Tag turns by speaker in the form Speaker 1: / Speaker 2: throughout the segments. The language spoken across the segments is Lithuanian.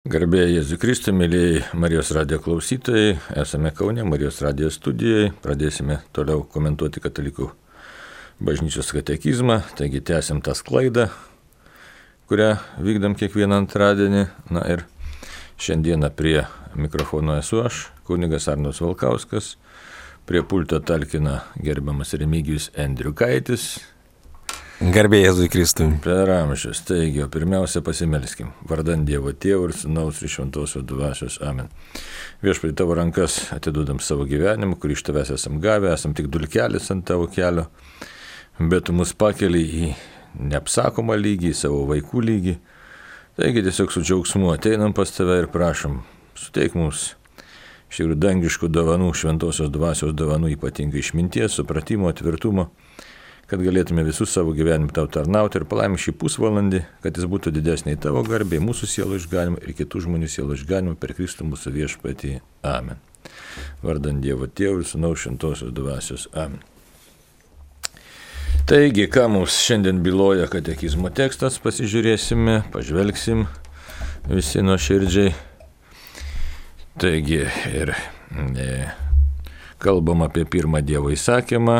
Speaker 1: Garbė Jėzui Kristui, mėlyjei Marijos radijo klausytojai, esame Kaune, Marijos radijo studijoje, pradėsime toliau komentuoti katalikų bažnyčios katekizmą, taigi tęsim tą sklaidą, kurią vykdam kiekvieną antradienį. Na ir šiandieną prie mikrofono esu aš, kunigas Arnas Valkauskas, prie pulto talkina gerbiamas Remigijus Endriukaitis.
Speaker 2: Garbė Jėzui Kristui.
Speaker 1: Per amžius. Taigi, pirmiausia pasimelskim. Vardan Dievo Tėvo ir Sūnaus ir Šventosios Dvasios. Amen. Viešpatie, tavo rankas atiduodam savo gyvenimą, kurį iš tavęs esam gavę, esam tik dulkelis ant tavo kelio, bet tu mus pakeli į neapsakomą lygį, į savo vaikų lygį. Taigi tiesiog su džiaugsmu ateinam pas tave ir prašom, suteik mums iš tikrųjų dangiškų dovanų, Šventosios Dvasios dovanų, ypatingai išminties, supratimo, tvirtumo, kad galėtume visus savo gyvenimą tau tarnauti ir palaimink šį pusvalandį, kad jis būtų didesniai tavo garbė, mūsų sielų išganimą ir kitų žmonių sielų išganimą per Kristų mūsų viešpatį. Amen. Vardan Dievo Tėvo ir Sūnaus Šventosios Dvasios. Amen. Taigi, ką mums šiandien byloja katekizmo tekstas, pasižiūrėsime, pažvelgsim visi nuoširdžiai. Taigi, ir kalbam apie pirmą Dievo įsakymą.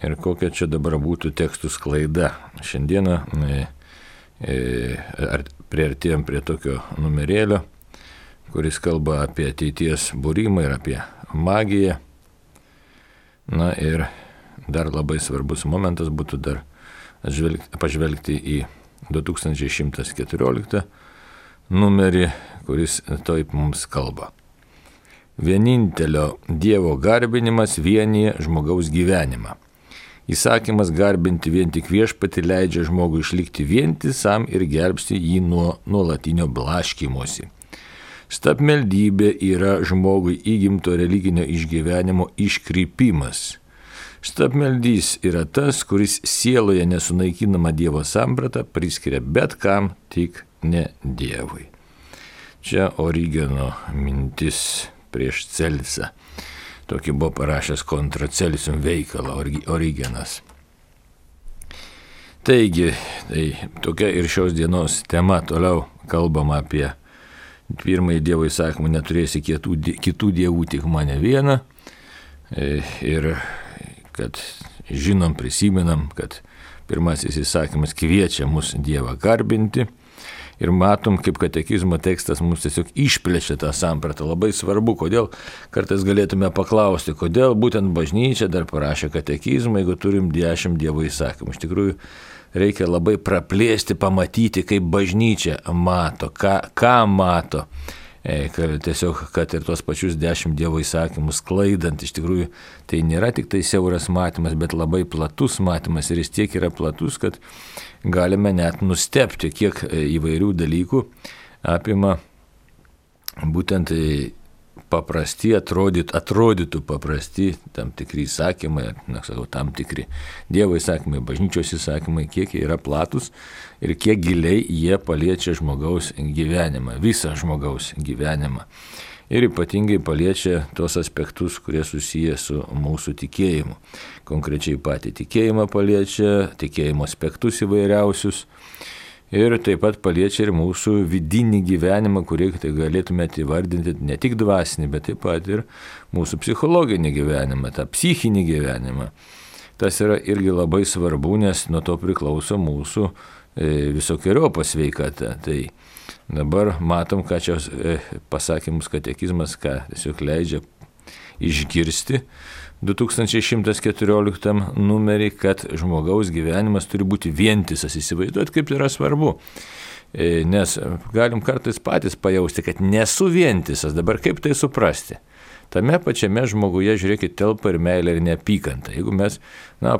Speaker 1: Ir kokia čia dabar būtų tekstų sklaida. Šiandieną priartėjom prie tokio numerėlio, kuris kalba apie ateities būrimą ir apie magiją. Na ir dar labai svarbus momentas būtų dar pažvelgti į 2114 numerį, kuris taip mums kalba. Vienintelio Dievo garbinimas vienyje žmogaus gyvenimą. Įsakymas garbinti vien tik viešpatį leidžia žmogui išlikti vientisam ir gelbsti jį nuo nuolatinio blaškymosi. Stabmeldybė yra žmogui įgimto religinio išgyvenimo iškrypimas. Stabmeldys yra tas, kuris sieloje nesunaikinamą Dievo sampratą priskiria bet kam, tik ne Dievui. Čia Origeno mintis prieš Celsą. Tokį buvo parašęs kontra Celsium veikalą Origenas. Taigi, tai tokia ir šios dienos tema. Toliau kalbama apie pirmąjį Dievo įsakymą, neturėsi kitų dievų, tik mane vieną. Ir kad žinom, prisimenam, kad pirmasis įsakymas kviečia mus Dievą garbinti. Ir matom, kaip katekizmo tekstas mums tiesiog išplečia tą sampratą. Labai svarbu, kodėl kartais galėtume paklausti, kodėl būtent bažnyčia dar parašė katekizmą, jeigu turim 10 Dievo įsakymų. Iš tikrųjų, reikia labai praplėsti, pamatyti, kaip bažnyčia mato, ką mato. Tiesiog, kad ir tos pačius 10 Dievo įsakymus sklaidant, iš tikrųjų, tai nėra tik tai siauras matymas, bet labai platus matymas. Ir jis tiek yra platus, kad galime net nustebti, kiek įvairių dalykų apima būtent paprasti, atrodytų paprasti tam tikri įsakymai, tam tikri Dievo įsakymai, bažnyčios įsakymai, kiek jie yra platus ir kiek giliai jie paliečia žmogaus gyvenimą, visą žmogaus gyvenimą. Ir ypatingai paliečia tos aspektus, kurie susiję su mūsų tikėjimu. Konkrečiai patį tikėjimą paliečia, tikėjimo aspektus įvairiausius. Ir taip pat paliečia ir mūsų vidinį gyvenimą, kurį tai galėtumėte įvardinti ne tik dvasinį, bet taip pat ir mūsų psichologinį gyvenimą, tą psichinį gyvenimą. Tas yra irgi labai svarbu, nes nuo to priklauso mūsų visokiojopa sveikata. Tai dabar matom, ką čia pasakymus katekizmas, ką tiesiog leidžia išgirsti 2114 numerį, kad žmogaus gyvenimas turi būti vientisas. Įsivaizduot, kaip tai yra svarbu. Nes galim kartais patys pajausti, kad nesu vientisas. Dabar kaip tai suprasti? Tame pačiame žmoguje, žiūrėkit, telpa ir meilė ir neapykanta. Jeigu mes,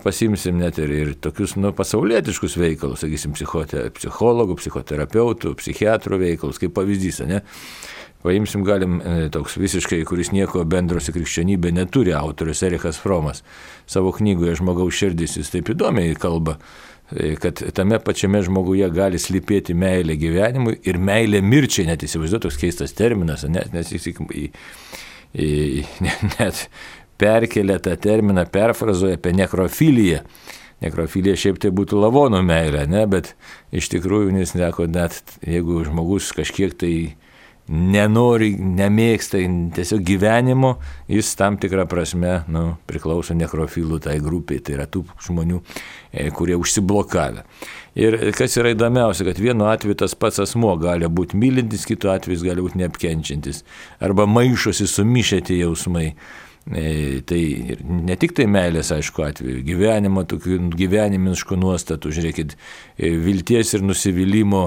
Speaker 1: pasimsim net ir tokius, pasaulietiškus veikalus, sakysim, psichologų, psichoterapeutų, psichiatrų veikalus, kaip pavyzdys, ne? Paimsim, galim toks visiškai, kuris nieko bendro su krikščionybė neturi, autorius Erichas Fromas. Savo knygoje Žmogaus širdis jis taip įdomiai kalba, kad tame pačiame žmoguje gali slypėti meilė gyvenimui ir meilė mirčiai, net įsivaizduoju, toks keistas terminas, nes net perkelia tą terminą, perfrazuoja apie nekrofiliją. nekrofilija šiaip tai būtų lavonų meilė, ne, bet iš tikrųjų jis sako, net jeigu žmogus kažkiek tai nenori, nemėgsta tiesiog gyvenimo, jis tam tikrą prasme priklauso nekrofilų tai grupiai, tai yra tų žmonių, kurie užsiblokavę. Ir kas yra įdomiausia, kad vienu atveju tas pats asmuo gali būti mylintis, kitu atveju gali būti neapkenčiantis, arba maišosi sumišę tie jausmai. Tai ne tik tai meilės, aišku, atveju, gyvenimo, tokių gyvenimiškų nuostatų, žiūrėkit, vilties ir nusivylimų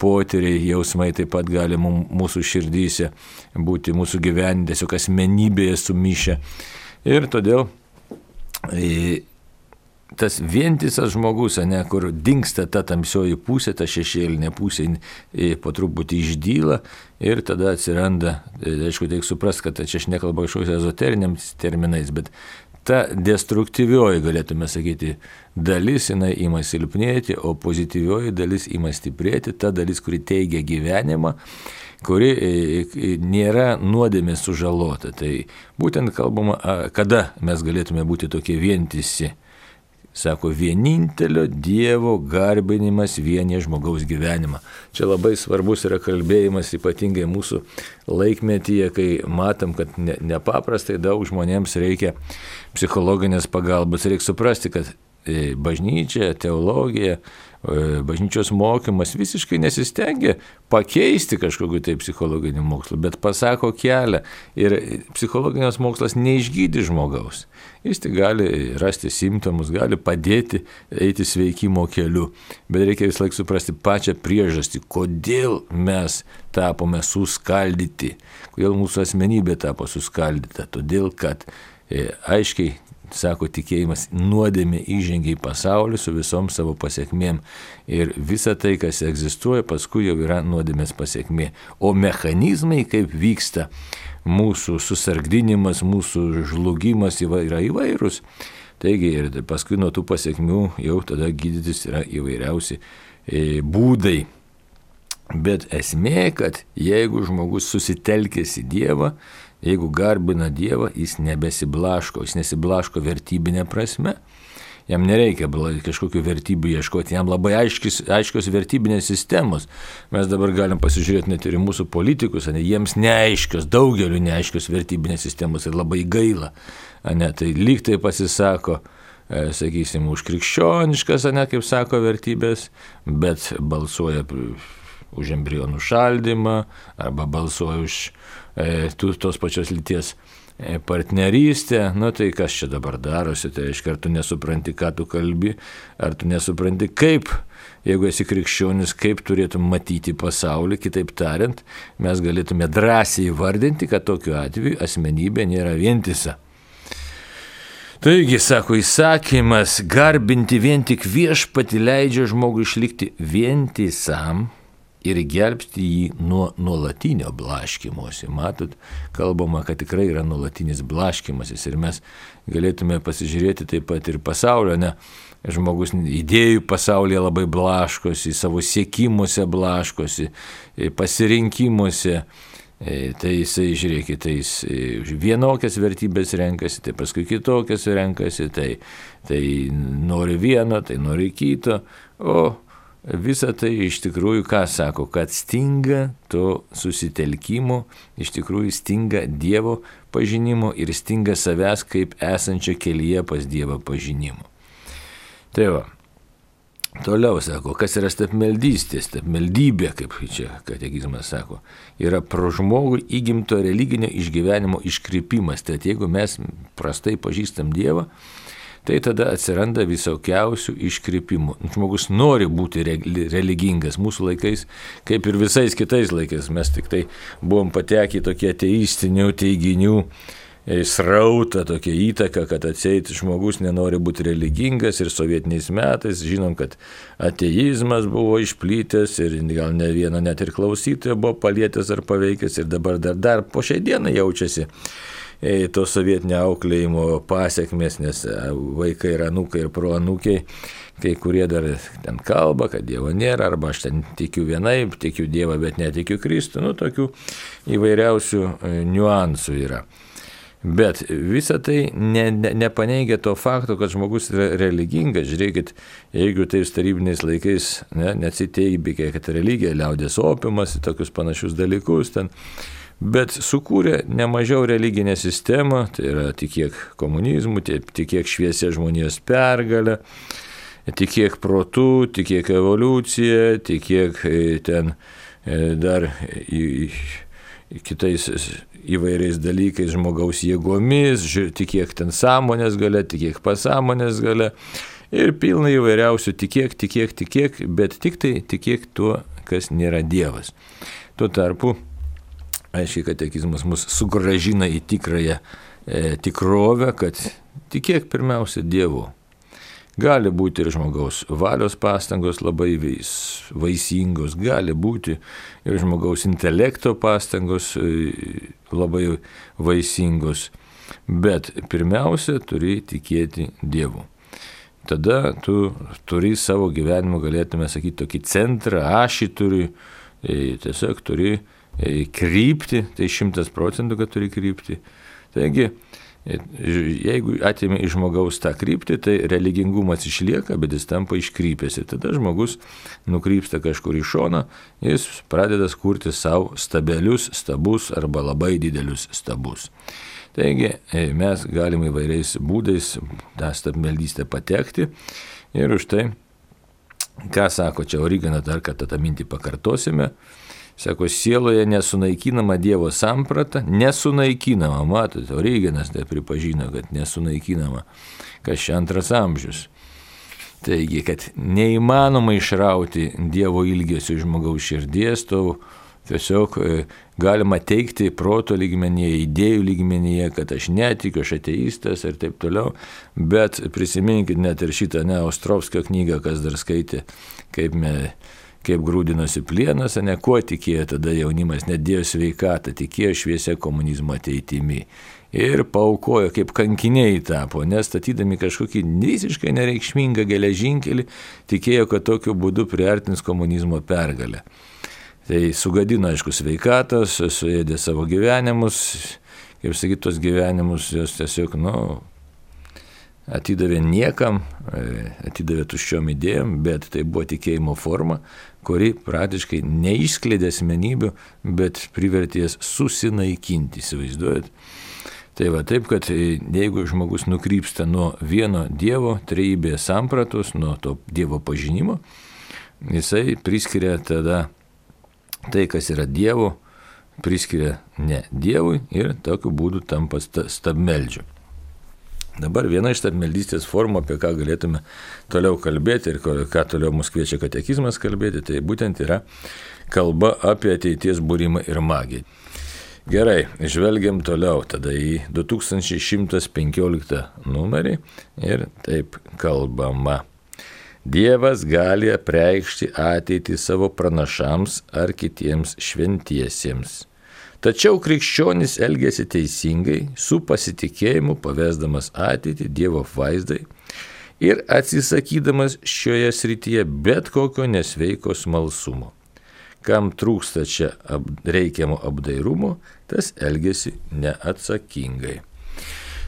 Speaker 1: potyriai, jausmai taip pat gali mūsų širdyse būti, mūsų gyvenime, tiesiog asmenybėje sumišę. Ir todėl tas vientisas žmogus, kur dingsta ta tamsioji pusė, ta šešėlinė pusė po truputį išdyla ir tada atsiranda, aišku, reikia suprasti, kad čia aš nekalbu kažkokiais ezoteriniams terminais, bet ta destruktyvioji, galėtume sakyti, dalis, jinai ima silpnėti, o pozityvioji dalis ima stiprėti, ta dalis, kuri teigia gyvenimą, kuri nėra nuodėmės sužalota. Tai būtent kalbama, kada mes galėtume būti tokie vientisi. Sako, vienintelio Dievo garbinimas vienyje žmogaus gyvenimą. Čia labai svarbus yra kalbėjimas, ypatingai mūsų laikmetyje, kai matom, kad nepaprastai daug žmonėms reikia psichologinės pagalbos. Reikia suprasti, kad bažnyčia, teologija, bažnyčios mokymas visiškai nesistengia pakeisti kažkokiu tai psichologiniu mokslu, bet pasako kelią ir psichologinis mokslas neišgydi žmogaus. Jis tik gali rasti simptomus, gali padėti eiti sveikimo keliu, bet reikia vis laik suprasti pačią priežastį, kodėl mes tapome suskaldyti, kodėl mūsų asmenybė tapo suskaldyta, todėl kad aiškiai sako tikėjimas, nuodėmė įžengia į pasaulį su visom savo pasiekmėm. Ir visa tai, kas egzistuoja, paskui jau yra nuodėmės pasiekmė. O mechanizmai, kaip vyksta mūsų susargdinimas, mūsų žlugimas yra įvairūs. Taigi ir paskui nuo tų pasiekmių jau tada gydytis yra įvairiausi būdai. Bet esmė, kad jeigu žmogus susitelkęs į Dievą, jeigu garbina Dievą, jis nebesiblaško, jis nesiblaško vertybinė prasme, jam nereikia kažkokių vertybių ieškoti, jam labai aiškios vertybinės sistemos. Mes dabar galim pasižiūrėti net ir mūsų politikus, jiems neaiškios, daugeliu neaiškios vertybinės sistemos ir labai gaila. Tai lyg tai pasisako, sakysim, už krikščioniškas, kaip sako, vertybės, bet balsuoja už embrionų šaldymą arba balsuoja už tos pačios lyties partnerystę. Tai kas čia dabar darosi, tai reiškia, ar tu nesupranti, ką tu kalbi, ar tu nesupranti, kaip, jeigu esi krikščionis, kaip turėtum matyti pasaulį. Kitaip tariant, mes galėtume drąsiai įvardinti, kad tokiu atveju asmenybė nėra vientisa. Taigi, sako, įsakymas garbinti vien tik viešpatį leidžia žmogui išlikti vientisam ir gelbsti jį nuo nuolatinio blaškymosi. Matot, kalbama, kad tikrai yra nuolatinis blaškymasis ir mes galėtume pasižiūrėti taip pat ir pasaulio, žmogus idėjų pasaulyje labai blaškosi, savo siekimuose blaškosi, pasirinkimuose. Tai jisai, žiūrėkit, tai jis vienokias vertybės renkasi, tai paskui kitokias renkasi, tai nori vieno, tai nori kito, o visa tai iš tikrųjų, ką sako, kad stinga to susitelkimo, iš tikrųjų stinga Dievo pažinimo ir stinga savęs kaip esančio kelyje pas Dievą pažinimo. Tai va, toliau sako, kas yra stabmeldystė, stabmeldybė, kaip čia katekizmas sako, yra pro žmogų įgimto religinio išgyvenimo iškrypimas. Tai jeigu mes prastai pažįstam Dievą, tai tada atsiranda visokiausių iškrypimų. Žmogus nori būti religingas. Mūsų laikais, kaip ir visais kitais laikais, mes tik tai buvom patekę į tokie ateistinių teiginių srautą, tokia įtaka, kad atseit žmogus nenori būti religingas ir sovietiniais metais, žinom, kad ateizmas buvo išplytęs ir gal ne vieno net ir klausytojo buvo palietęs ar paveikęs ir dabar dar po šiai dienai jaučiasi to sovietinio auklėjimo pasiekmės, nes vaikai ir anūkai ir proanūkiai, kai kurie dar ten kalba, kad Dievo nėra, arba aš ten tikiu vienaip, tikiu Dievą, bet netikiu Kristų, tokių įvairiausių niuansų yra. Bet visa tai nepaneigia to fakto, kad žmogus yra religingas. Žiūrėkit, jeigu tais tarybiniais laikais neatsiteibė, kad religija, liaudės opiumas, tokius panašius dalykus ten, bet sukūrė nemažiau religinę sistemą, tai yra tikėk komunizmu, tikėk šviesia žmonijos pergalę, tikėk protu, tikėk evoliucija, tikėk ten dar kitais įvairiais dalykais, žmogaus jėgomis, tikėk ten sąmonės galia, tikėk pasąmonės galia ir pilna įvairiausių tikėk, bet tik tai tikėk tuo, kas nėra Dievas. Tuo tarpu, aiškiai, katekizmas mus sugrąžina į tikrąją tikrovę, kad tikėk pirmiausia Dievu. Gali būti ir žmogaus valios pastangos labai vaisingos, gali būti ir žmogaus intelekto pastangos labai vaisingos, bet pirmiausia turi tikėti Dievu. Tada tu turi savo gyvenimo, galėtume sakyti, tokį centrą, ašį turi, tiesiog turi krypti, tai 100%, kad turi krypti. Taigi, jeigu atėmė iš žmogaus tą kryptį, tai religingumas išlieka, bet jis tampa iškrypęs. Ir tada žmogus nukrypsta kažkur į šoną, jis pradeda kurti savo stabus arba labai didelius stabus. Taigi mes galime įvairiais būdais tą stabmeldystę patekti ir už tai, ką sako čia Origenas, dar kartą tą mintį pakartosime. Sako, sieloje nesunaikinama Dievo samprata, nesunaikinama, matote, Origenas tai pripažino, kad nesunaikinama, kas čia 2 amžius. Taigi, kad neįmanoma išrauti Dievo ilgesio iš žmogaus širdies, to tiesiog galima teikti proto lygmenyje, idėjų lygmenyje, kad aš netikiu, aš ateistas ir taip toliau, bet prisiminkit net ir šitą Ostrovskio knygą, kas dar skaitė, kaip grūdinosi plienas, kuo tikėjo tada jaunimas, nedėjo sveikatą, tikėjo šviesia komunizmo ateitimi. Ir paaukojo, kaip kankiniai tapo, nes statydami kažkokį visiškai nereikšmingą geležinkelį, tikėjo, kad tokiu būdu priartins komunizmo pergalę. Tai sugadino, aišku, sveikatos, suėdė savo gyvenimus, kaip sakyti, tos gyvenimus jos tiesiog, atidavė niekam, atidavė tuščiom idėjom, bet tai buvo tikėjimo forma, kuri praktiškai neišskleidė asmenybių, bet privertė jas susinaikinti, įsivaizduojat. Tai va taip, kad jeigu žmogus nukrypsta nuo vieno Dievo trejybės sampratos, nuo to Dievo pažinimo, jisai priskiria tada tai, kas yra Dievo, priskiria ne Dievui ir tokiu būdu tampa stabmeldžiu. Dabar viena iš stabmeldystės formų, apie ką galėtume toliau kalbėti ir ką toliau mus kviečia katekizmas kalbėti, tai būtent yra kalba apie ateities būrimą ir magiją. Gerai, žvelgiam toliau tada į 2115 numerį ir taip kalbama. Dievas gali apreikšti ateitį savo pranašams ar kitiems šventiesiems. Tačiau krikščionis elgėsi teisingai, su pasitikėjimu pavesdamas ateitį Dievo vaizdai ir atsisakydamas šioje srityje bet kokio nesveiko smalsumo. Kam trūksta čia reikiamo apdairumo, tas elgėsi neatsakingai.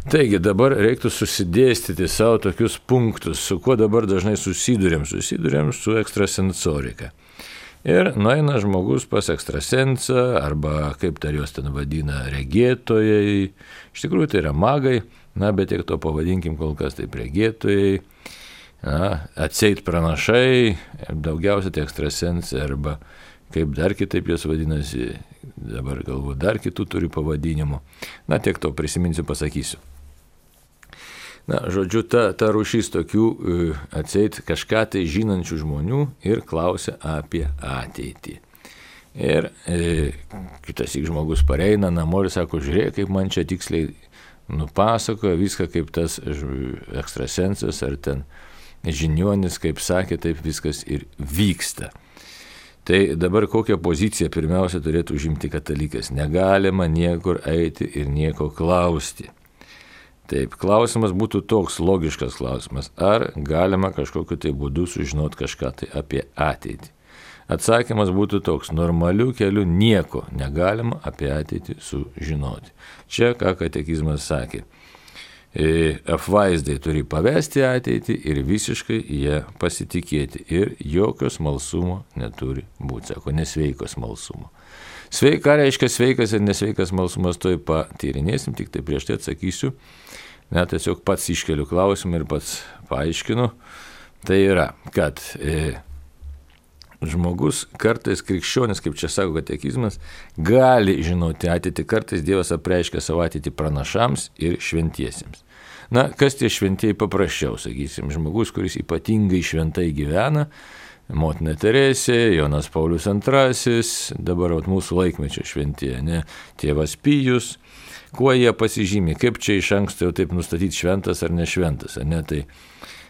Speaker 1: Taigi dabar reiktų susidėstyti savo tokius punktus, su kuo dabar dažnai susidurėm su ekstrasensorika. Ir nueina žmogus pas ekstrasensą, arba kaip dar juos ten vadina, regėtojai. Iš tikrųjų tai yra magai, bet tiek to pavadinkim kol kas taip regėtojai, atseit pranašai, daugiausia tai ekstrasensai, arba kaip dar kitaip jos vadinasi, dabar galvoju, dar kitų turi pavadinimų. Tiek to prisiminsiu, pasakysiu. Žodžiu, ta rūšis tokių atseit kažką tai žinančių žmonių ir klausia apie ateitį. Ir kitas žmogus pareina namo ir sako, žiūrėk, kaip man čia tiksliai nupasakoja viską, kaip tas ekstrasensas ar ten žiniuonis, kaip sakė, taip viskas ir vyksta. Tai dabar kokią poziciją pirmiausia turėtų užimti katalikas? Negalima niekur eiti ir nieko klausti. Taip, klausimas būtų toks logiškas klausimas, ar galima kažkokiu tai būdu sužinoti kažką tai apie ateitį. Atsakymas būtų toks: normaliu keliu nieko negalima apie ateitį sužinoti. Čia ką katekizmas sakė. Apvaizdai turi pavesti ateitį ir visiškai jie pasitikėti. Ir jokio smalsumo neturi būti. Sako, nesveiko smalsumo. Ką reiškia sveikas ir nesveikas smalsumas, to patyrinėsim, tik tai prieš tai atsakysiu. Tiesiog pats iškeliu klausimą ir pats paaiškinu. Tai yra, kad žmogus kartais krikščionis, kaip čia sako katekizmas, gali žinoti ateitį. Kartais Dievas apreiškia savo ateitį pranašams ir šventiesiems. Kas tie šventieji paprasčiau, sakysim, žmogus, kuris ypatingai šventai gyvena, Motina Teresė, Jonas Paulius II, dabar mūsų laikmečio šventieji, tėvas Pijus, kuo jie pasižymi, kaip čia iš anksto jau taip nustatyti šventas ar nešventas, tai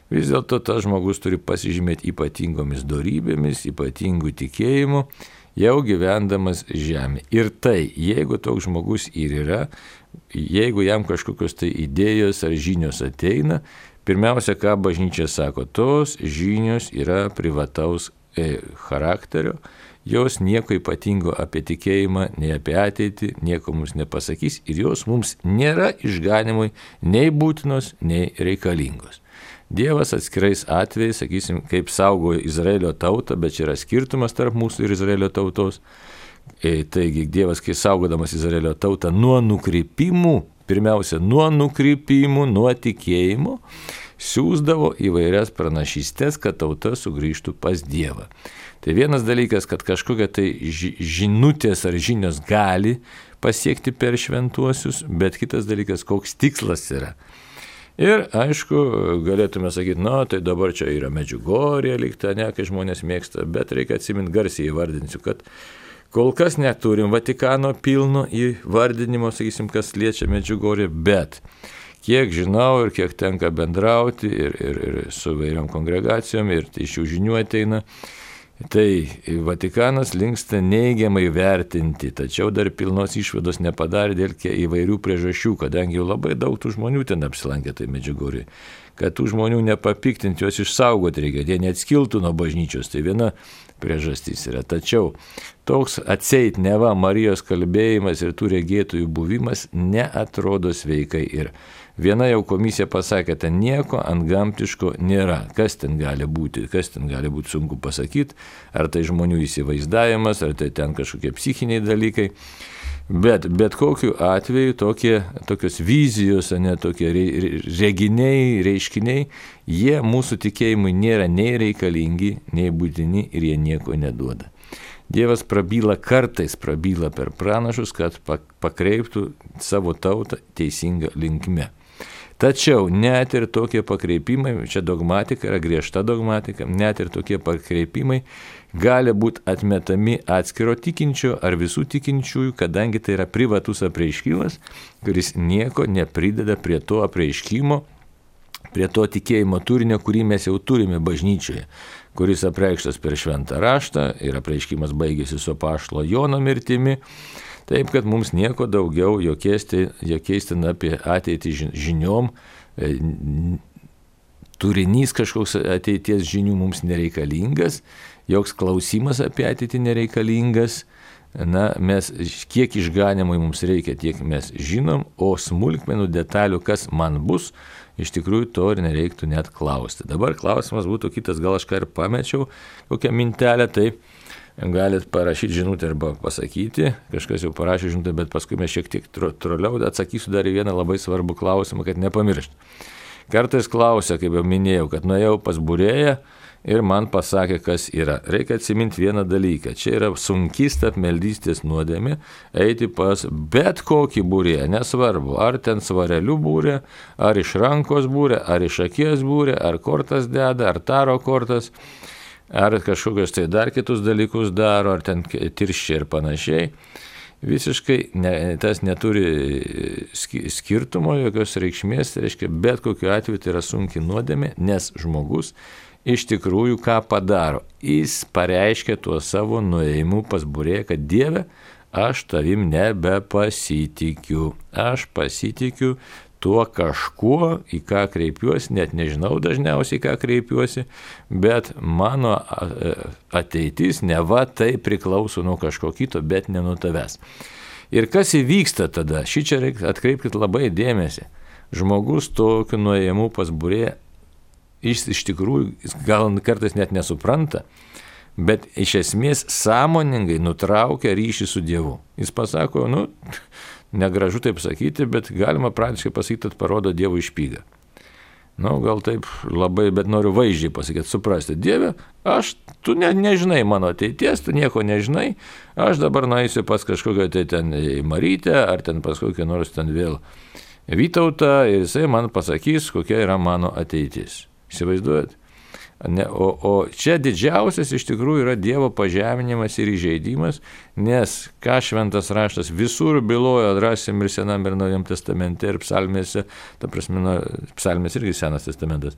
Speaker 1: vis dėlto tas žmogus turi pasižymėti ypatingomis dorybėmis, ypatingų tikėjimų, jau gyvendamas žemė. Ir tai, jeigu toks žmogus ir yra, jeigu jam kažkokios tai idėjos ar žinios ateina, pirmiausia, ką bažnyčia sako, tos žinios yra privataus charakterio, jos nieko ypatingo apie tikėjimą, nei apie ateitį, nieko mums nepasakys ir jos mums nėra išganimui nei būtinos, nei reikalingos. Dievas atskirais atvejais, sakysim, kaip saugojo Izraelio tautą, bet čia yra skirtumas tarp mūsų ir Izraelio tautos. Taigi Dievas, kai saugodamas Izraelio tautą nuo nukrypimų, pirmiausia, nuo nukrypimų, nuo tikėjimo, siųsdavo įvairias pranašystės, kad tauta sugrįžtų pas Dievą. Tai vienas dalykas, kad kažkokia tai žinutės ar žinios gali pasiekti per šventuosius, bet kitas dalykas, koks tikslas yra. Ir aišku, galėtume sakyti, tai dabar čia yra Medžiugorje likta, kai žmonės mėgsta, bet reikia atsiminti, garsiai įvardinsiu, kad kol kas neturim Vatikano pilno įvardinimo, sakysim, kas liečia Medžiugorje, bet kiek žinau ir kiek tenka bendrauti ir su vairiom kongregacijom ir iš jų žinių ateina, tai Vatikanas linksta neigiamai vertinti, tačiau dar pilnos išvados nepadarė dėl įvairių priežasčių, kadangi jau labai daug tų žmonių ten apsilankė tai Medžiugorje. Kad tų žmonių nepapiktinti, juos išsaugoti reikia, jie neatskiltų nuo bažnyčios, tai viena priežastys yra. Tačiau toks atseit neva Marijos kalbėjimas ir tų regėtojų buvimas neatrodo sveikai ir viena jau komisija pasakė, ten nieko antgamtiško nėra. Kas ten gali būti sunku pasakyti, ar tai žmonių įsivaizdavimas, ar tai ten kažkokie psichiniai dalykai. Bet kokiu atveju tokios vizijos, tokie reginiai, reiškiniai, jie mūsų tikėjimui nėra nei reikalingi, nei būtini ir jie nieko neduoda. Dievas kartais prabyla per pranašus, kad pakreiptų savo tautą teisinga linkme. Tačiau net ir tokie pakreipimai, čia dogmatika yra griežta dogmatika, net ir tokie pakreipimai gali būti atmetami atskiro tikinčio ar visų tikinčiųjų, kadangi tai yra privatus apreiškimas, kuris nieko neprideda prie to apreiškimo, prie to tikėjimo turinio, kurį mes jau turime bažnyčioje, kuris apreikštas per šventą raštą ir apreiškimas baigėsi su apaštalo Jono mirtimi. Taip, kad mums nieko daugiau jokiais ten apie ateitį žiniom, turinys kažkoks ateities žinių mums nereikalingas, joks klausimas apie ateitį nereikalingas. Mes kiek išganimui mums reikia, tiek mes žinom, o smulkmenų detalių, kas man bus, iš tikrųjų to ir nereiktų net klausti. Dabar klausimas būtų kitas, gal aš ką ir pamečiau, kokią mintelę, tai galit parašyti žinutę arba pasakyti, kažkas jau parašė žinutę, bet paskui mes šiek tiek troliau atsakysiu dar į vieną labai svarbų klausimą, kad nepamiršti. Kartais klausia, kaip jau minėjau, kad nuėjau pas būrėją ir man pasakė, kas yra. Reikia atsiminti vieną dalyką. Čia yra sunki stabmeldystės nuodėmė eiti pas bet kokį būrėją, nesvarbu, ar ten svarelių būrė, ar iš rankos būrė, ar iš akies būrė, ar kortas deda, ar taro kortas, ar kažkokios tai dar kitus dalykus daro, ar ten tirščiai ir panašiai. Visiškai tas neturi skirtumo, jokios reikšmės, tai reiškia, bet kokiu atveju tai yra sunki nuodėmė, nes žmogus iš tikrųjų ką padaro. Jis pareiškia tuo savo nuėjimu pas būrėją, kad Dieve, aš tavim nebepasitikiu. Aš pasitikiu tuo kažkuo, į ką kreipiuosi, net nežinau dažniausiai, į ką kreipiuosi, bet mano ateitis neva tai priklauso nuo kažko kito, bet ne nuo tavęs. Ir kas įvyksta tada? Šičia atkreipkite labai dėmesį. Žmogus tokiu nuėjimu pas būrėją iš tikrųjų gal kartais net nesupranta, bet iš esmės sąmoningai nutraukia ryšį su Dievu. Jis pasako, negražu taip sakyti, bet galima praktiškai pasakyti, kad parodo Dievo špygą. Gal taip labai, bet noriu vaizdžiai pasakyti, suprasti. Dieve, tu nežinai mano ateities, tu nieko nežinai, aš dabar nueisiu pas kažkokią tai ten Marytę, ar ten pas kokią nors ten vėl Vytautą, ir jisai man pasakys, kokia yra mano ateitis. Įsivaizduojat? O čia didžiausias iš tikrųjų yra Dievo pažeminimas ir įžeidimas, nes ką šventas raštas visur byloja, rasim ir Senam ir Naujam testamente, ir psalmėse, ta prasme, psalmės irgi Senas testamentas.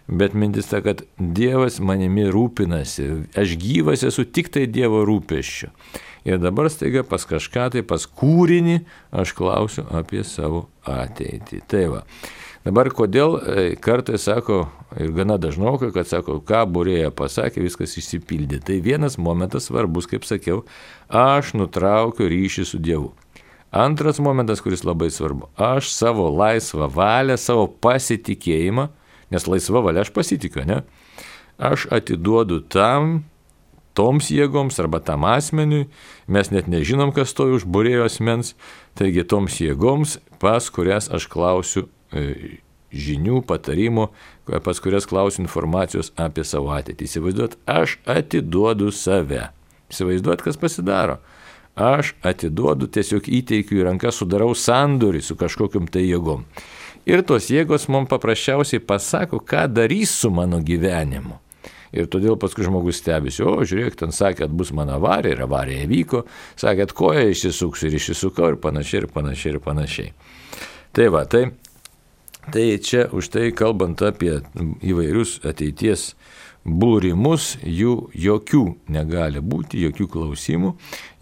Speaker 1: Bet mintis ta, kad Dievas manimi rūpinasi, aš gyvas esu tik tai Dievo rūpesčiu. Ir dabar staiga pas kažką tai, pas kūrinį, aš klausiu apie savo ateitį. Tai va. Dabar kodėl kartais sako, ir gana dažnokai, kad sako, ką būrėja pasakė, viskas išsipildė. Tai vienas momentas svarbus, kaip sakiau, aš nutraukiu ryšį su Dievu. Antras momentas, kuris labai svarbu, aš savo laisvą valią, savo pasitikėjimą, nes laisva valia aš pasitikiu, ne? Aš atiduodu toms jėgoms arba tam asmeniui, mes net nežinom, kas stovi už būrėjo asmens, taigi toms jėgoms, pas kurias aš klausiu žinių, patarimų, pas kurias klausiu informacijos apie savo ateitį. Įsivaizduot, aš atiduodu save. Įsivaizduot, kas pasidaro. Aš atiduodu, tiesiog įteikiu į ranką, sudarau sandorį su kažkokiam tai jėgom. Ir tos jėgos mums paprasčiausiai pasako, ką darys su mano gyvenimu. Ir todėl paskui žmogus stebisi, žiūrėk, ten sakė, kad bus mano avarija, ir avarija įvyko, sakė, kad koja išsisuksiu ir išsisukau, ir panašiai, ir panašiai, ir panašiai. Tai va, tai čia už tai kalbant apie įvairius ateities būrimus, jų jokių negali būti, jokių klausimų,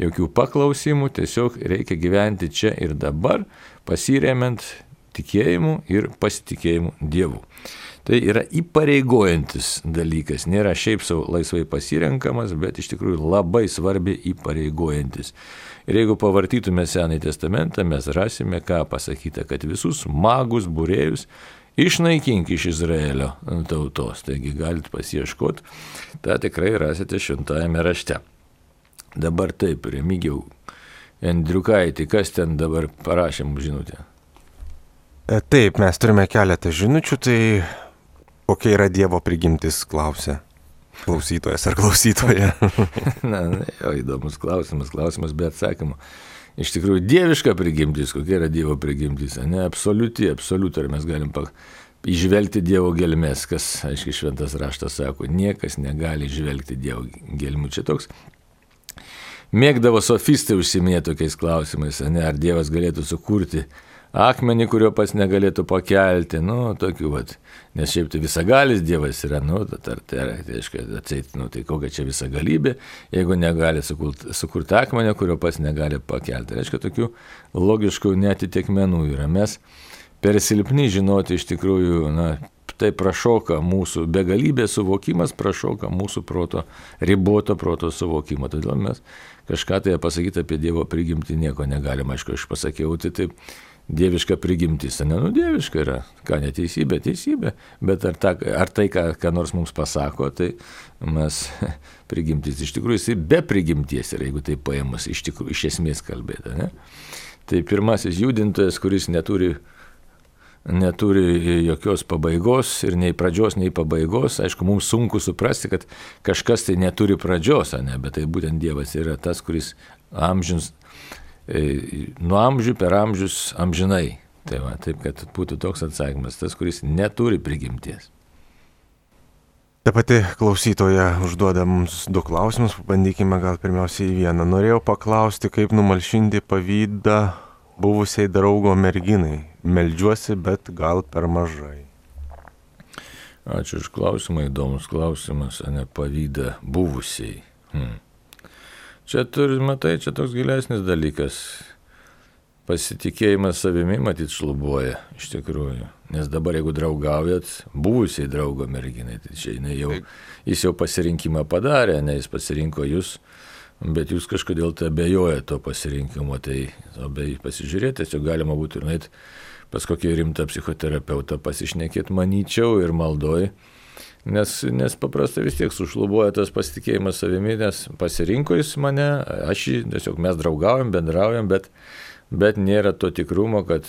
Speaker 1: jokių paklausimų, tiesiog reikia gyventi čia ir dabar, pasiremiant tikėjimu ir pasitikėjimu Dievu. Tai yra įpareigojantis dalykas, nėra šiaip savo laisvai pasirenkamas, bet iš tikrųjų labai svarbiai įpareigojantis. Ir jeigu pavartytume Senąjį testamentą, mes rasime, ką pasakyta, kad visus magus būrėjus išnaikink iš Izraelio tautos. Taigi galite pasiieškoti, tą tikrai rasite Šventajame rašte. Dabar taip, Remigijau Endriukaitį, kas ten dabar parašė mums žinutę?
Speaker 2: Taip, mes turime keletą žinučių, tai kokia yra Dievo prigimtis, klausia klausytojas ar klausytoja.
Speaker 1: Įdomus klausimas be atsakymų. Iš tikrųjų, dieviška prigimtis, kokia yra Dievo prigimtis, ne absoliuti, ar mes galim įžvelgti Dievo gelmes, kas, aiškiai, šventas raštas sako, niekas negali įžvelgti Dievo gelmių. Čia toks mėgdavo sofistai užsiminėti tokiais klausimais, ar Dievas galėtų sukurti akmenį, kurio pats negalėtų pakelti, tokių, nes šiaip tai visagalis Dievas yra, tai kokia čia visagalybė, jeigu negali sukurti akmenį, kurio pats negali pakelti. Reiškia, tokių logiškų neatitikmenų yra. Mes per silpni žinoti iš tikrųjų, tai prašoka mūsų begalybės suvokimas, prašoka mūsų riboto proto suvokimą. Todėl mes kažką tai pasakyti apie Dievo prigimtį nieko negalime. Aišku, aš pasakiau, tai taip, dieviška prigimtis, dieviška yra, ką neteisybė, bet ar tai, ką nors mums pasako, tai mes prigimtis iš tikrųjų jisai be prigimties yra, jeigu tai paėmus iš esmės kalbėta, ne? Tai pirmasis judintojas, kuris neturi jokios pabaigos ir nei pradžios, nei pabaigos, aišku, mums sunku suprasti, kad kažkas tai neturi pradžios, bet tai būtent Dievas yra tas, kuris nuo amžių per amžius amžinai. Tai va, taip, kad būtų toks atsakymas, tas, kuris neturi prigimties.
Speaker 2: Ta pati klausytoja užduoda mums 2 klausimus, pabandykime gal pirmiausiai vieną. Norėjau paklausti, kaip numalšinti pavydą buvusiai draugo merginai. Meldžiuosi, bet gal per mažai.
Speaker 1: Ačiū už klausimą, įdomus klausimas, pavydą buvusiai. Čia matai, čia toks gilesnis dalykas. pasitikėjimas savimi matyt šlubuoja iš tikrųjų. Nes dabar jeigu draugaujat buvusiai draugo merginai, tai čia jis jau pasirinkimą padarė, ne jis pasirinko jūs, bet jūs kažkodėl tai abejoja to pasirinkimo, tai pasižiūrėti, tiesiog galima būtų ir nueit pas kokį rimtą psichoterapeutą pasišnekėti, manyčiau, ir maldoj, nes paprastai vis tiek sušlubuoja tas pasitikėjimas savimi, nes pasirinko jis mane, tiesiog mes draugaujam, bendraujam, bet nėra to tikrumo, kad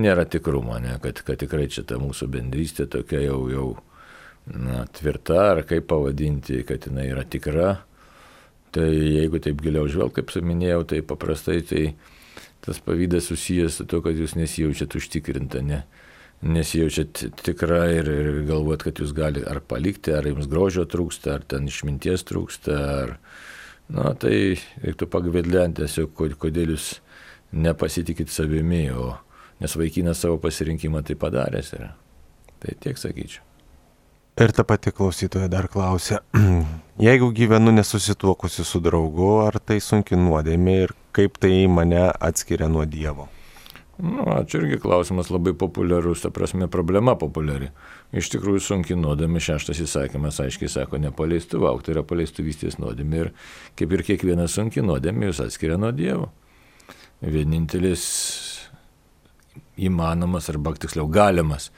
Speaker 1: nėra tikrumo, ne, kad tikrai čia ta mūsų bendrystė tokia jau tvirta, ar kaip pavadinti, kad jinai yra tikra. Tai jeigu taip giliau žvelg, kaip minėjau, tai paprastai tai tas pavydas susijęs su to, kad jūs nesijaučiat užtikrinta, nesijaučiat tikra ir galvojat, kad jūs gali ar palikti, ar jums grožio trūksta, ar ten išminties trūksta, tai reiktų pagvedlenti tiesiog, kodėl jūs nepasitikit savimi, nes vaikinas savo pasirinkimą tai padaręs yra. Tai tiek sakyčiau.
Speaker 2: Ir ta pati klausytoja dar klausė, jeigu gyvenu nesusituokusi su draugu, ar tai sunki nuodėmė ir kaip tai mane atskiria nuo Dievo?
Speaker 1: Čia irgi klausimas labai populiarus, ta prasme problema populiari. Iš tikrųjų sunki nuodėmė, 6 įsakymas aiškiai sako, nepaleistuvauk, tai yra paleistuvystės nuodėmė ir kaip ir kiekviena sunki nuodėmė jūs atskiria nuo Dievo. Vienintelis įmanomas arba tiksliau galimas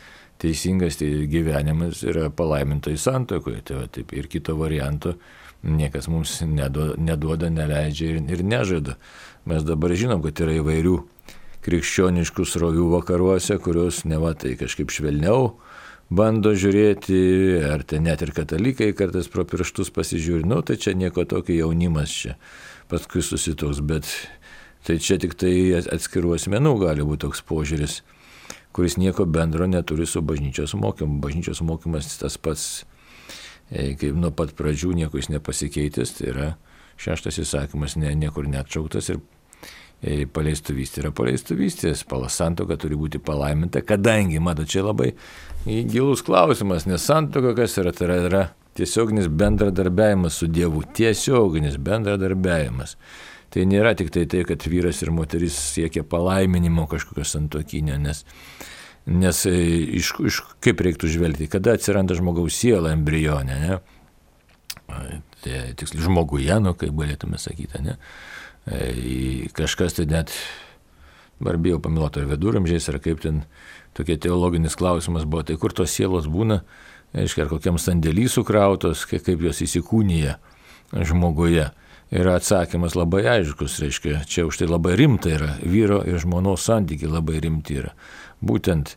Speaker 1: teisingas gyvenimas yra palaimintoji santuokoje. Tai taip ir kito varianto niekas mums neduoda, neleidžia ir nežada. Mes dabar žinom, kad yra įvairių krikščioniškų srovių vakaruose, kurios neva tai kažkaip švelniau bando žiūrėti, ar tai net ir katalikai kartais pro pirštus pasižiūri, tai čia nieko tokio, jaunimas čia paskui susitoks, bet tai čia tik tai atskirų asmenų gali būti toks požiūris, kuris nieko bendro neturi su bažnyčios mokymu. Bažnyčios mokymas tas pats, kaip nuo pat pradžių nieko jis nepasikeitęs, tai yra 6 įsakymas niekur neatšauktas ir paleistuvystė yra paleistuvystės, santuoka turi būti palaiminta, kadangi, čia labai gilus klausimas, nes santuoka kas yra, tai yra tiesioginis bendradarbiavimas su Dievu, tiesioginis bendradarbiavimas. Tai nėra tik tai, kad vyras ir moteris siekia palaiminimo kažkokio santuokinio, nes kaip reiktų žvelgti, kada atsiranda žmogaus siela embrionė, ne? Tai tiksliai žmoguje, kaip galėtume sakyti, ne? Kažkas tai net, dabar bijau pameluoti, ar viduramžiais, ar kaip ten tokie teologinis klausimas buvo, tai kur tos sielos būna, ar kokiam sandėly sukrautos, kaip jos įsikūnyja žmoguje. Yra atsakymas labai aiškus, reiškia, čia už tai labai rimta yra, vyro ir žmonos santykiai labai rimti yra. Būtent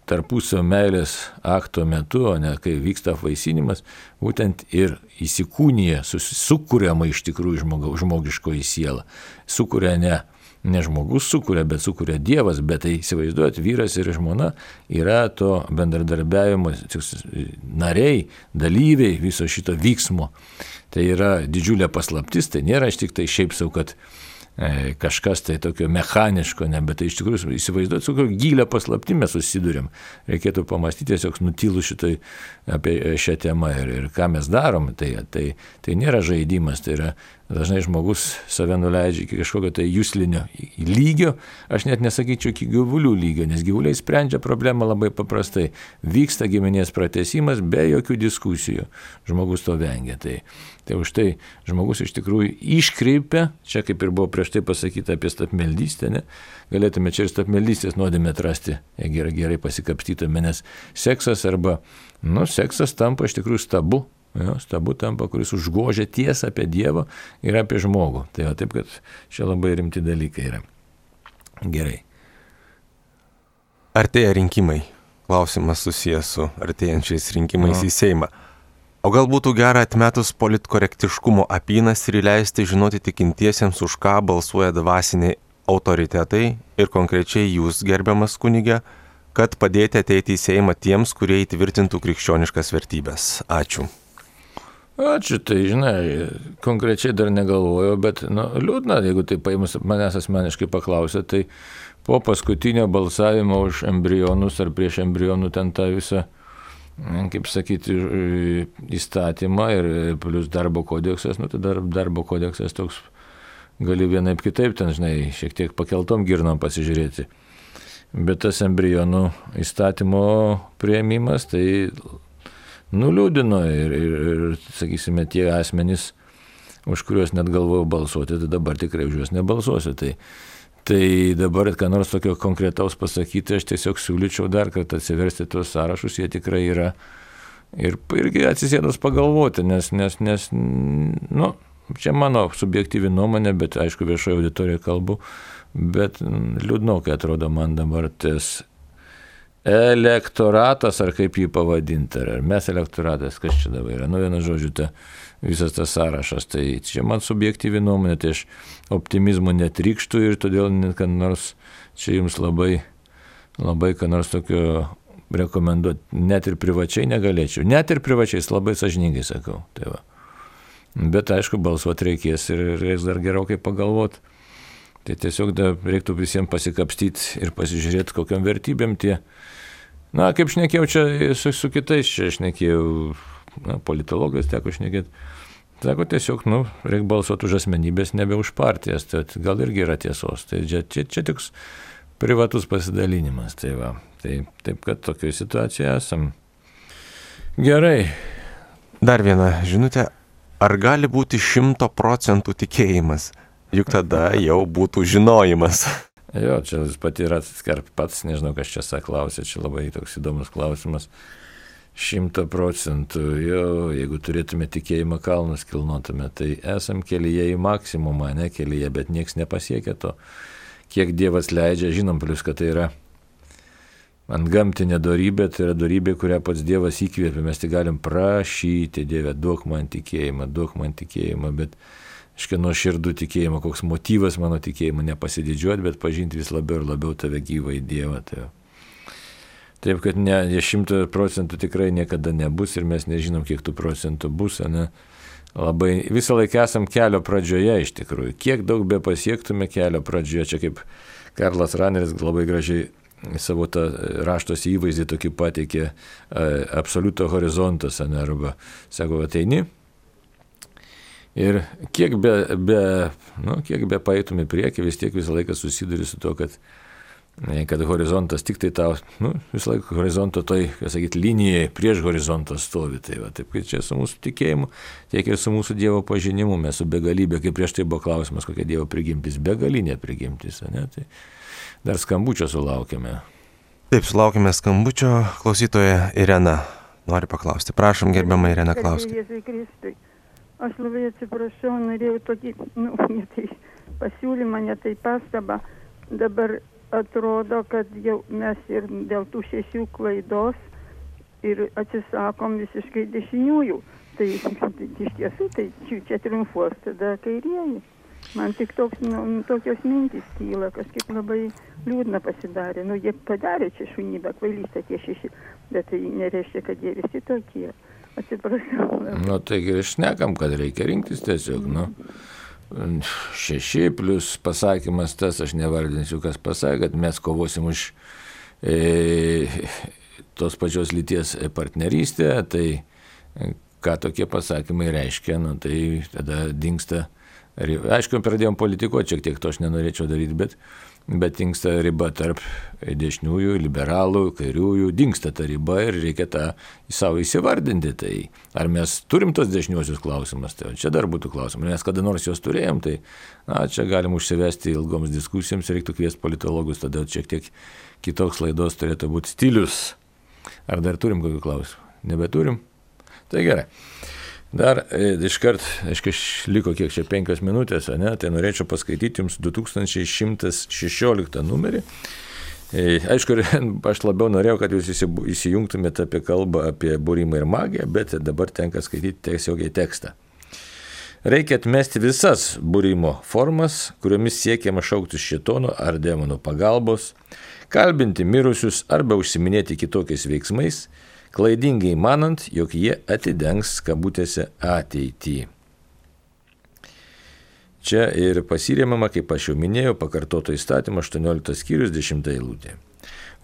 Speaker 1: tarpusavio meilės akto metu, o ne kai vyksta apvaisinimas, būtent ir įsikūnyja, sukuriama iš tikrųjų žmogiškoji siela. Sukuria ne žmogus sukuria, bet sukuria Dievas, bet tai įsivaizduojat, vyras ir žmona yra to bendradarbiavimo nariai, dalyviai viso šito vyksmo. Tai yra didžiulė paslaptis, tai nėra tik tai šiaip sau, kad kažkas tai tokio mechaniško, bet tai iš tikrųjų įsivaizduoti, su kokio gilę paslaptį mes susidurėm. Reikėtų pamastyti tiesiog nutilų šitai apie šią temą ir ką mes darom. Tai nėra žaidimas, tai yra dažnai žmogus save nuleidžia iki kažkokio tai juslinio lygio, aš net nesakyčiau iki gyvulių lygio, nes gyvuliai sprendžia problemą labai paprastai. Vyksta giminės pratęsimas be jokių diskusijų. Žmogus to vengia. Tai už tai žmogus iš tikrųjų iškreipia, čia kaip ir buvo prieš tai pasakyta apie stabmeldystę, ne? Galėtume čia ir stabmeldystės nuodėmę atrasti, jeigu gerai pasikapstytume, nes seksas seksas tampa iš tikrųjų stabu. Stabu tampa, kuris užgožia tiesą apie Dievą ir apie žmogų. Tai taip, kad čia labai rimti dalykai yra. Gerai.
Speaker 2: Artėja rinkimai. Klausimas susijęs su artėjančiais rinkimais į Seimą. O gal būtų gera atmetus politkorektiškumo apynas ir įleisti žinoti tikintiesiems, už ką balsuoja dvasiniai autoritetai ir konkrečiai jūs, gerbiamas kunige, kad padėti ateiti į Seimą tiems, kurie įtvirtintų krikščioniškas vertybės. Ačiū.
Speaker 1: Ačiū, tai žinai, konkrečiai dar negalvojau, bet liūdna, jeigu tai paimus manęs asmeniškai paklausė, tai po paskutinio balsavimo už embrionus ar prieš embrionų ten tą visą, kaip sakyti, įstatymą ir plus darbo kodeksas, tai darbo kodeksas toks gali vienaip kitaip ten, žinai, šiek tiek pakeltom girnom pasižiūrėti. Bet tas embrionų įstatymo priėmimas tai nuliūdino ir sakysime, tie asmenys, už kuriuos net galvojau balsuoti, tai dabar tikrai už juos nebalsuosiu. Tai dabar, ką nors tokio konkretaus pasakyti, aš tiesiog siūlyčiau dar kartą atsiversti tuos sąrašus, jie tikrai yra irgi atsisėdus pagalvoti, nes čia mano subjektyvi nuomonė, bet aišku viešoje auditorijoje kalbu, bet liūdnokai atrodo man dabar tas elektoratas, ar kaip jį pavadinti, ar mes elektoratas, kas čia dabar yra, vienu žodžiu, visas tas sąrašas, tai čia man subjektyvi nuomonė, tai aš optimizmo netrykštų ir todėl net kad nors čia jums labai ką nors tokio rekomenduoti, net ir privačiai negalėčiau, net ir privačiais labai sąžiningai sakau, tai va. Bet aišku, balsuoti reikės ir reiks dar gerokai pagalvoti. Tai tiesiog reiktų visiems pasikapstyti ir pasižiūrėti, kokiam vertybėm tie. Na, kaip šnekėjau čia su kitais, čia šnekėjau, politologais teko šnekėti. Sako, tiesiog, reikia balsuoti už asmenybės, nebe už partijas, tai gal irgi yra tiesos. Tai čia tiks privatus pasidalinimas, tai va. Taip, kad tokioje situacijoje esam. Gerai.
Speaker 2: Dar viena žinutė. Ar gali būti 100% tikėjimas? Juk tada jau būtų žinojimas.
Speaker 1: Jo, čia pati yra pats, nežinau, kas čia klausė, čia labai toks įdomus klausimas. 100%, jo, jeigu turėtume tikėjimą kalnus kilnotume, tai esam kelyje į maksimumą, ne kelyje, bet nieks nepasiekia to. Kiek Dievas leidžia, žinom, plus, kad tai yra antgamtinė dorybė, tai yra dorybė, kurią pats Dievas įkvėpė, mes tik galim prašyti, Dieve, duok man tikėjimą, bet nuo širdų tikėjimo, koks motyvas mano tikėjimo, nepasididžiuoti, bet pažinti vis labiau ir labiau tave gyvą į Dievą. Taip, kad 100% tikrai niekada nebus ir mes nežinom, kiek tų procentų bus, ne? Labai visą laiką esam kelio pradžioje iš tikrųjų. Kiek daug be pasiektume kelio pradžioje, čia kaip Karlas Raneris labai gražiai savo tą raštos įvaizdį tokį pateikė absoliuto horizontas, arba sako, ateini ir kiek be paeitum į priekį, vis tiek visą laiką susiduri su to, kad horizontas tik tai tau, visą laiką horizonto toj, linijai prieš horizontą stovi. Tai va, taip, kad čia su mūsų tikėjimu, tiek ir su mūsų Dievo pažinimu, mes su begalybė, kaip prieš tai buvo klausimas, kokia Dievo prigimtis, begalinė prigimtis, ne? Tai dar skambučio sulaukėme.
Speaker 2: Taip, sulaukėme skambučio. Klausytoja Irena nori paklausti. Prašom, gerbiama Irena, klausti.
Speaker 3: Aš labai atsiprašau, norėjau tokį, tai pasiūlymą, ne tai pastabą. Dabar atrodo, kad jau mes ir dėl tų 6 klaidos ir atsisakom visiškai dešiniųjų. Tai iš tiesų, tai čia triumfuos tada kairieji. Man tik tokios mintys kyla, kažkaip labai liūdna pasidarė. Jie padarė čia šunybę, kvailystę tie 6, bet tai nereiškia, kad jie visi tokie. Atsiprašau.
Speaker 1: Taigi ir šnekam, kad reikia rinktis tiesiog, 6 plus pasakymas tas, aš nevardinsiu, kas pasakė, kad mes kovosim už tos pačios lyties partnerystę, tai ką tokie pasakymai reiškia, tai tada dingsta. Aišku, pradėjom politikuoti, šiek tiek to aš nenorėčiau daryti, bet dingsta riba tarp dešiniųjų, liberalų, kairiųjų, dingsta ta riba ir reikia tą savo įsivardinti. Tai ar mes turim tos dešiniuosius klausimus, tai čia dar būtų klausimas, nes kada nors juos turėjom, tai čia galim užsivesti ilgoms diskusijoms, reiktų kviesti politologus, tada šiek tiek kitoks laidos turėtų būti stilius. Ar dar turim kokių klausimų? Nebeturim? Tai gerai. Dar iškart, liko kiek čia 5 minutės, tai norėčiau paskaityti jums 2116 numerį. Aišku, aš labiau norėjau, kad jūs įsijungtumėte apie kalbą apie būrimą ir magiją, bet dabar tenka skaityti tiesiogiai tekstą. Reikia atmesti visas būrimo formas, kuriomis siekiama šauktis šėtono ar demonų pagalbos, kalbinti mirusius arba užsiminėti kitokiais veiksmais, klaidingai manant, jog jie atidengs kabutėse ateitį. Čia ir pasirėmama, kaip aš jau minėjau, pakartoto įstatymo 18 skyrius 10 eilutė.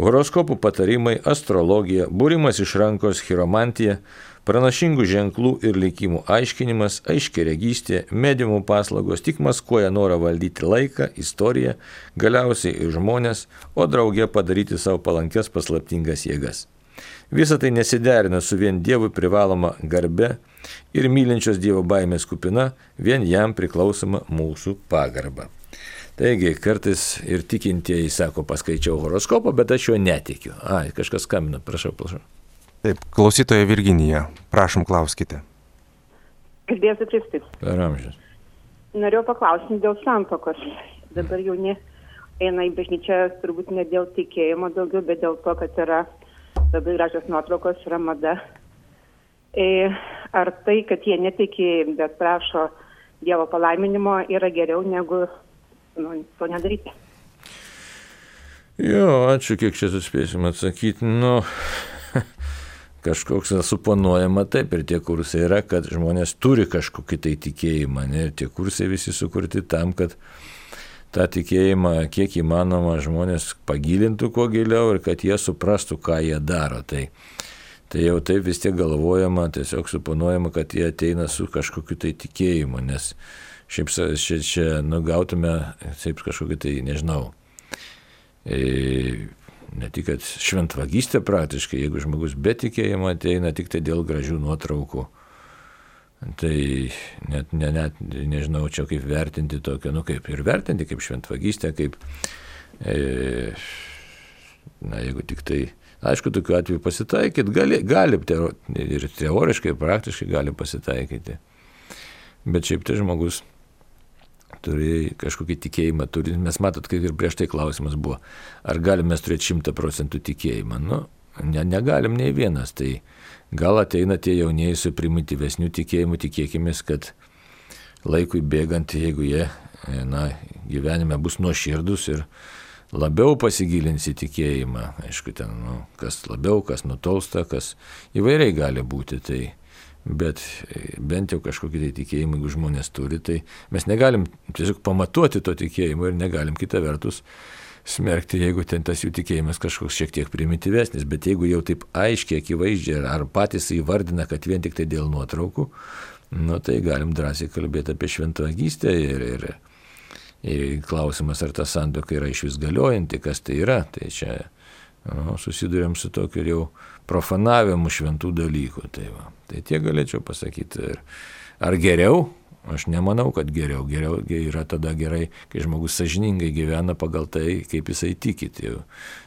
Speaker 1: Horoskopų patarimai, astrologija, būrimas iš rankos, chiromantija, pranašingų ženklų ir likimų aiškinimas, aiškiaregystė, mediumų paslaugos tik maskuoja norą valdyti laiką, istoriją, galiausiai ir žmonės, o drauge padaryti savo palankes paslaptingas jėgas. Visa tai nesiderina su vien Dievui privaloma garbe ir mylinčios Dievo baimės kupina, vien jam priklausoma mūsų pagarba. Taigi, kartais ir tikintieji sako, paskaičiau horoskopą, bet aš jo netikiu. Kažkas skambina, prašau.
Speaker 2: Taip, klausytoja Virginija, prašom, klauskite.
Speaker 4: Kalbėsiu Kristus.
Speaker 1: Per amžius.
Speaker 4: Norėjau paklausti dėl santuokos. Dabar jauni eina į bažnyčią turbūt ne dėl tikėjimo daugiau, bet dėl to, kad yra labai gražios nuotraukos, yra mada. Ar tai, kad jie netiki, bet prašo Dievo palaiminimo, yra geriau negu to nedaryti?
Speaker 1: Jo, ačiū, kiek čia suspėsim atsakyti. Kažkoks suponuojama taip, ir tie kursai yra, kad žmonės turi kažkokį tai tikėjimą, ne? Ir tie kursai visi sukurti tam, kad tą tikėjimą kiek įmanoma žmonės pagilintų kuo giliau ir kad jie suprastų, ką jie daro. Tai jau taip vis tiek galvojama, tiesiog suponuojama, kad jie ateina su kažkokiu tai tikėjimu, nes šiaip čia gautume taip kažkokį tai, nežinau, ne tik, kad šventvagystė praktiškai, jeigu žmogus be tikėjimo ateina tik tai dėl gražių nuotraukų, tai net nežinau čia kaip vertinti tokią, kaip ir vertinti kaip šventvagystę, kaip, jeigu tik tai, aišku, tokiu atveju pasitaikyti, gali ir teoriškai, ir praktiškai gali pasitaikyti, bet šiaip tai žmogus turi kažkokį tikėjimą, mes matot, kaip ir prieš tai klausimas buvo, ar galim mes turėti 100% tikėjimą? Negalim nei vienas, tai gal ateina tie jaunieji su primityvesniu tikėjimu, tikėkimės, kad laikui bėgant, jeigu jie gyvenime bus nuoširdus ir labiau pasigilins į tikėjimą, aišku, ten, kas labiau, kas nutolsta, kas įvairiai gali būti, tai bet bent jau kažkokį tai tikėjimą, jeigu žmonės turi, tai mes negalim tiesiog pamatuoti to tikėjimo ir negalim kita vertus smerkti, jeigu ten tas jų tikėjimas kažkoks šiek tiek primityvesnis, bet jeigu jau taip aiškiai, akivaizdžiai ar patys įvardina, kad vien tik tai dėl nuotraukų, tai galim drąsiai kalbėti apie šventvagystę ir klausimas, ar ta santuoka yra išvis galiojanti, kas tai yra, tai čia susidurėm su tokiu jau profanavimu šventų dalykų. Tai tiek galėčiau pasakyti. Ar geriau? Aš nemanau, kad geriau. Geriau yra tada gerai, kai žmogus sąžiningai gyvena pagal tai, kaip jisai tiki.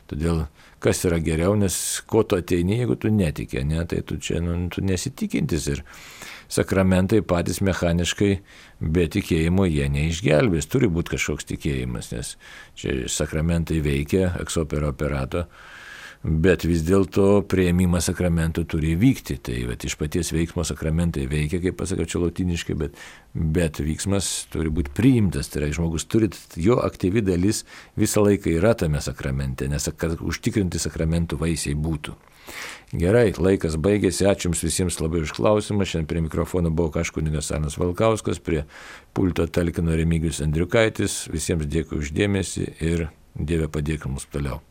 Speaker 1: Todėl kas yra geriau, nes ko tu ateini, jeigu tu netiki, ne? Tai tu čia tu nesitikintis ir sakramentai patys mechaniškai be tikėjimo jie neišgelbės. Turi būti kažkoks tikėjimas, nes čia sakramentai veikia, ex opere operato, bet vis dėlto priėmimas sakramentų turi vykti. Tai iš paties veiksmo sakramentai veikia, kaip pasakiau čia lotyniškai, bet veiksmas turi būti priimtas. Tai yra, žmogus turi, jo aktyvi dalis visą laiką yra tame sakramente, nes kad užtikrinti sakramentų vaisiai būtų. Gerai, laikas baigėsi, ačiū Jums visiems labai už klausimą. Šiandien prie mikrofono buvo kunigas Arnas Valkauskas, prie pulto talkino Remigijus Andriukaitis. Visiems dėkui už dėmesį ir Dieve padėk mums toliau.